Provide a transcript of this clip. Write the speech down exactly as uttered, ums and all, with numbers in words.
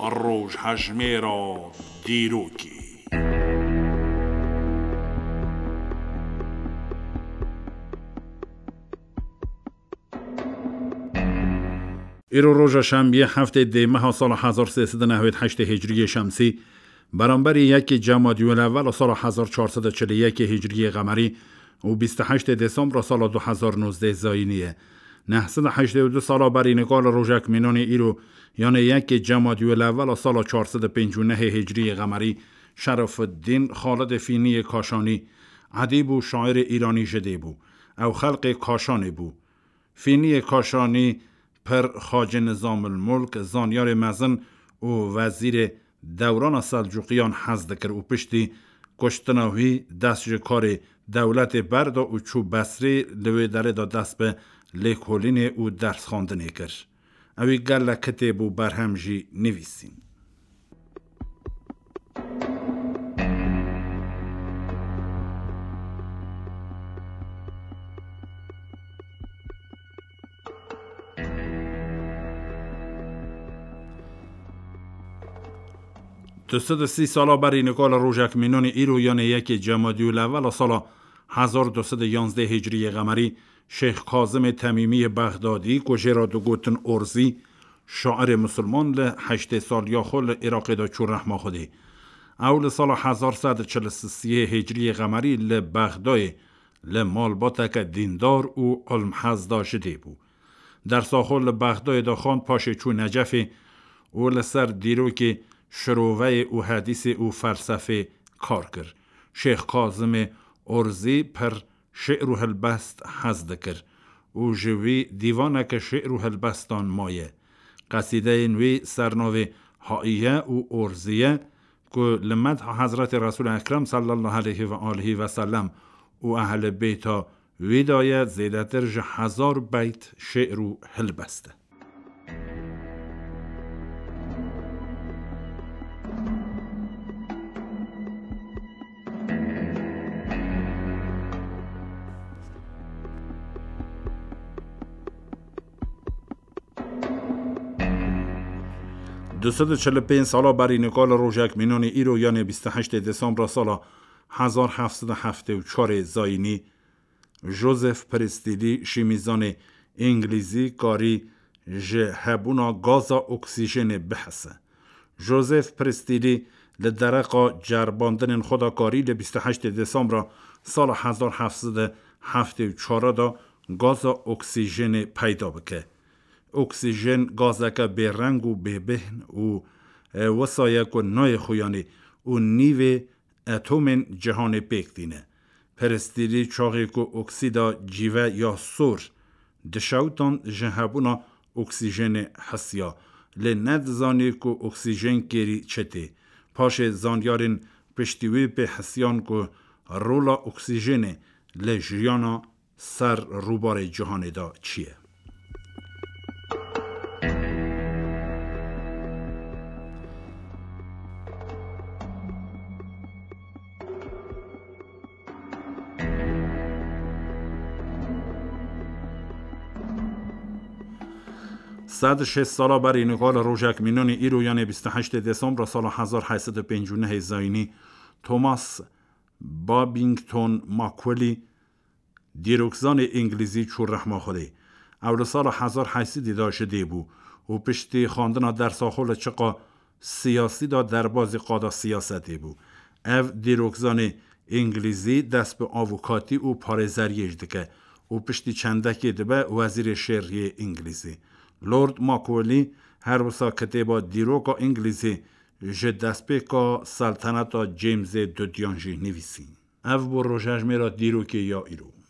Rojhejmêra dîrokê. Îro roja şembiyê heftê dê meha sala hezar sê sed û newêd heştê hicriyê şemsî, beramberî yekê Cemadiyul Ewwel a sala hezar çar sed û çil û yekê hicriyê qemerî û bîst û heştê Dêsembra sala du hezar nozdeh zayînî ye. Neh sed û heştê û du sala berî nika li rojek mînanê îro, yanê yekê Cemadiyul Ewwel a sala çar sed û pêncî û nehê hicriyê qemerî, Şerefiddîn Xalidê Fîniyê Kaşanî, edîb û şairê îranî ji dê bû. Ew xelqê Kaşanê bû. Fîniyê Kaşanî pir Xacê Nizamil Mulk, zanyarê mezin û wezîrê dewrana Selcuqiyan hez dikir û piştî kuştina wî dest ji karê dewletê berda û çû Besrê, li wê derê de dest bi lêkolînê û dersxwendinê kir. Ew ê gelek kitêb û berhem jî nivîsîn. Du sed û sî sala berî nika li rojek mînanê îro, yanê yekê Cemadiyul Ewwel a sala hezar du sed û yanzdeh hicriyê qemerî, Şêx Kazimê Temîmiyê Bexdadî, ku jê re digotin Orzî, şairê misilman, li heştê saliya xwe li Iraqê de çû rehma Xwedê. Ew li sala hezar sed û çil û sê hicriyê qemerî li Bexdayê li malbateke dîndar û ilmhez de ji dê bû. Dersa xwe li Bexdayê de xwend, paşê çû Necefê û li ser dîrokê şiroveyê û hedîsê û felsefê kar kir. Şêx Kazimê Orzî pir şi'r û hilbest hez dikir û ji wî dîvaneke şi'r û hilbestan maye. Qesîdeyên wî ser navê Haiye û Orziye, ku li medha Hezretê Resûl Ekrem sallallahu aleyhi ve alihi ve sellem û ehlê beyta wî de ye, zêdetir ji hezar beyt şi'r û hilbest e. Du sed û çil û pênc sala berî nika li rojek mînanê îro, yanê bîst û heştê Desembra sala hezar heft sed û heftê û çarê zayînî, Joseph Priestley, şîmîzanê îngilîzî, karî ji hebûna gaza oksîjenê bihise. Joseph Priestley li dereqa ceribandinên xwe de karî li bîst û heştê Desembra sala hezar heft sed û heftê û çar de gaza oksîjenê peyda bike. Oksîjen gazeke bêreng û bêbêhn û, e, wisa ye ku nayê xuyanê û nîvê etomên cihanê pêk tîne. Priestley çaxê ku oksîda cîve ya sor dişewtan, ji hebûna oksîjenê hisiya, lê nedizanî ku oksîjen kêrî çi tê. Paşê zanyarên piştî wî pê hisiyan ku rola oksîjenê li jiyana ser rûbarê cîhanê de çi ye. Sed û şêst sala berî nika li rojek mînanê îro, yanê bîst û heştê Desembra sala hezar heyt sed û pêncî û nehê zayînî, Thomas Babington Macaulay, dîrokzanê îngilîzî, çû rehma Xwedê. Ew li sala hezar heyt sedî de ji dê bû û piştî xwendina dersa xwe li çiqa siyasî de derbazî qada siyasetê bû. Ev dîrokzanê îngilîzî dest bi avûkatî û parêzeriyê jî dike û piştî çendekê dibe wezîrê şeriyê îngilîzî. Lord Macaulay her wisa kitêba Dîroka Îngilîzî ji destpêka Selteneta Jamesê Dudiyan jî nivîsî. Ev bû rojhejmêra dîrokê ya îro.